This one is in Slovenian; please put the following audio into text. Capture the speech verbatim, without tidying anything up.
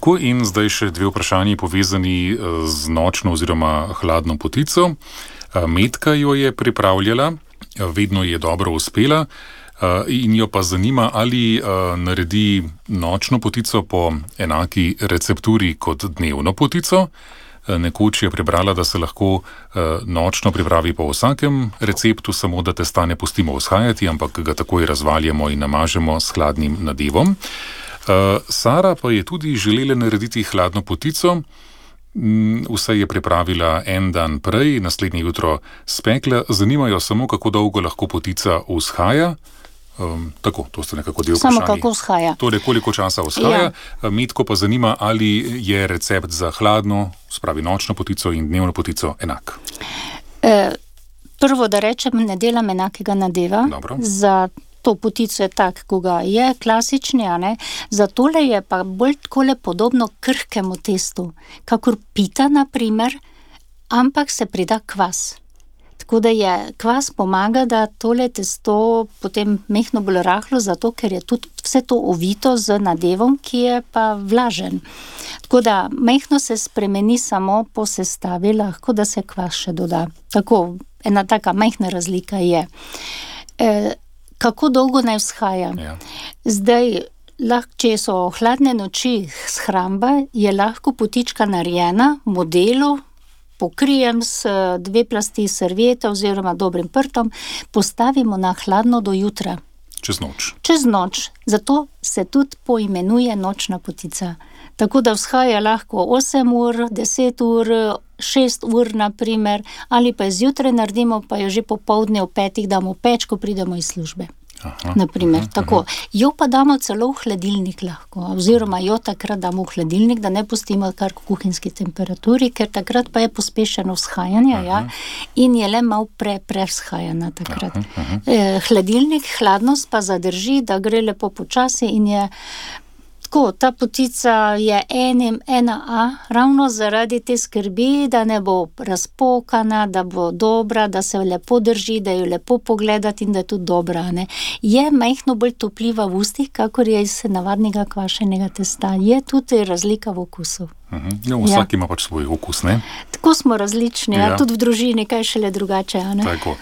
Tako, in zdaj še dve vprašanji povezani z nočno oziroma hladno potico. Metka jo je pripravljala, vedno je dobro uspela in jo pa zanima, ali naredi nočno potico po enaki recepturi kot dnevno potico. Nekoč je prebrala, da se lahko nočno pripravi po vsakem receptu, samo da testa ne pustimo vzhajati, ampak ga takoj razvaljamo in namažemo s hladnim nadevom. Sara pa je tudi želela narediti hladno potico. Vse je pripravila en dan prej, naslednje jutro spekla. Zanimajo samo, kako dolgo lahko potica vzhaja. Um, tako, to ste nekako del vprašanji. Samo kako vzhaja. Torej, koliko časa vzhaja. Ja. Metko pa zanima, ali je recept za hladno, spravi nočno potico in dnevno potico enak. E, prvo, da rečem, ne delam enakega nadeva. Dobro. Za to potico je tak, ko ga je klasični, a ne. Za tole je pa bolj takole podobno krhkemu testu, kakor pita, na primer, ampak se prida kvas. Tako da je kvas pomaga, da tole testo potem mehno bolj rahlo, zato ker je tudi vse to ovito z nadevom, ki je pa vlažen. Tako da mehno se spremeni samo po sestavi, lahko da se kvas še doda. Tako, ena taka mehna razlika je. E, kako dolgo naj vzhaja? Ja. Zdaj, lahko, če so hladne noči shramba, je lahko potička narejena v modelu, pokrijem s dve plasti servieta oziroma dobrim prtom, postavimo na hladno do jutra. Čez noč. Čez noč. Zato se tudi poimenuje nočna potica. Tako da vzhaja lahko osem ur, deset ur, šest ur na primer, ali pa zjutraj naredimo, pa jo že popoldne v petih damo peč, ko pridemo iz službe. Aha, naprimer, aha, tako. Aha. Jo pa damo celo v hladilnik lahko, oziroma jo takrat damo v hladilnik, da ne pustimo kar v kuhinjski temperaturi, ker takrat pa je pospešeno vzhajanje, ja, in je le malo pre, prevzhajana takrat. Aha, aha. Eh, hladilnik, hladnost pa zadrži, da gre lepo počasi in je tako, ta potica je enim, ena A, ravno zaradi te skrbi, da ne bo razpokana, da bo dobra, da se lepo drži, da jo lepo pogledati in da je tudi dobra, ne. Je majhno bolj topljiva v ustih, kakor je iz navadnega kvašenega testa. Je tudi razlika v okusu. Uh-huh. No, vsak ja. ima pač svoj okus, ne? Tako smo različni, ja. Ja, tudi v družini, kaj šele drugače, a ne? Tako.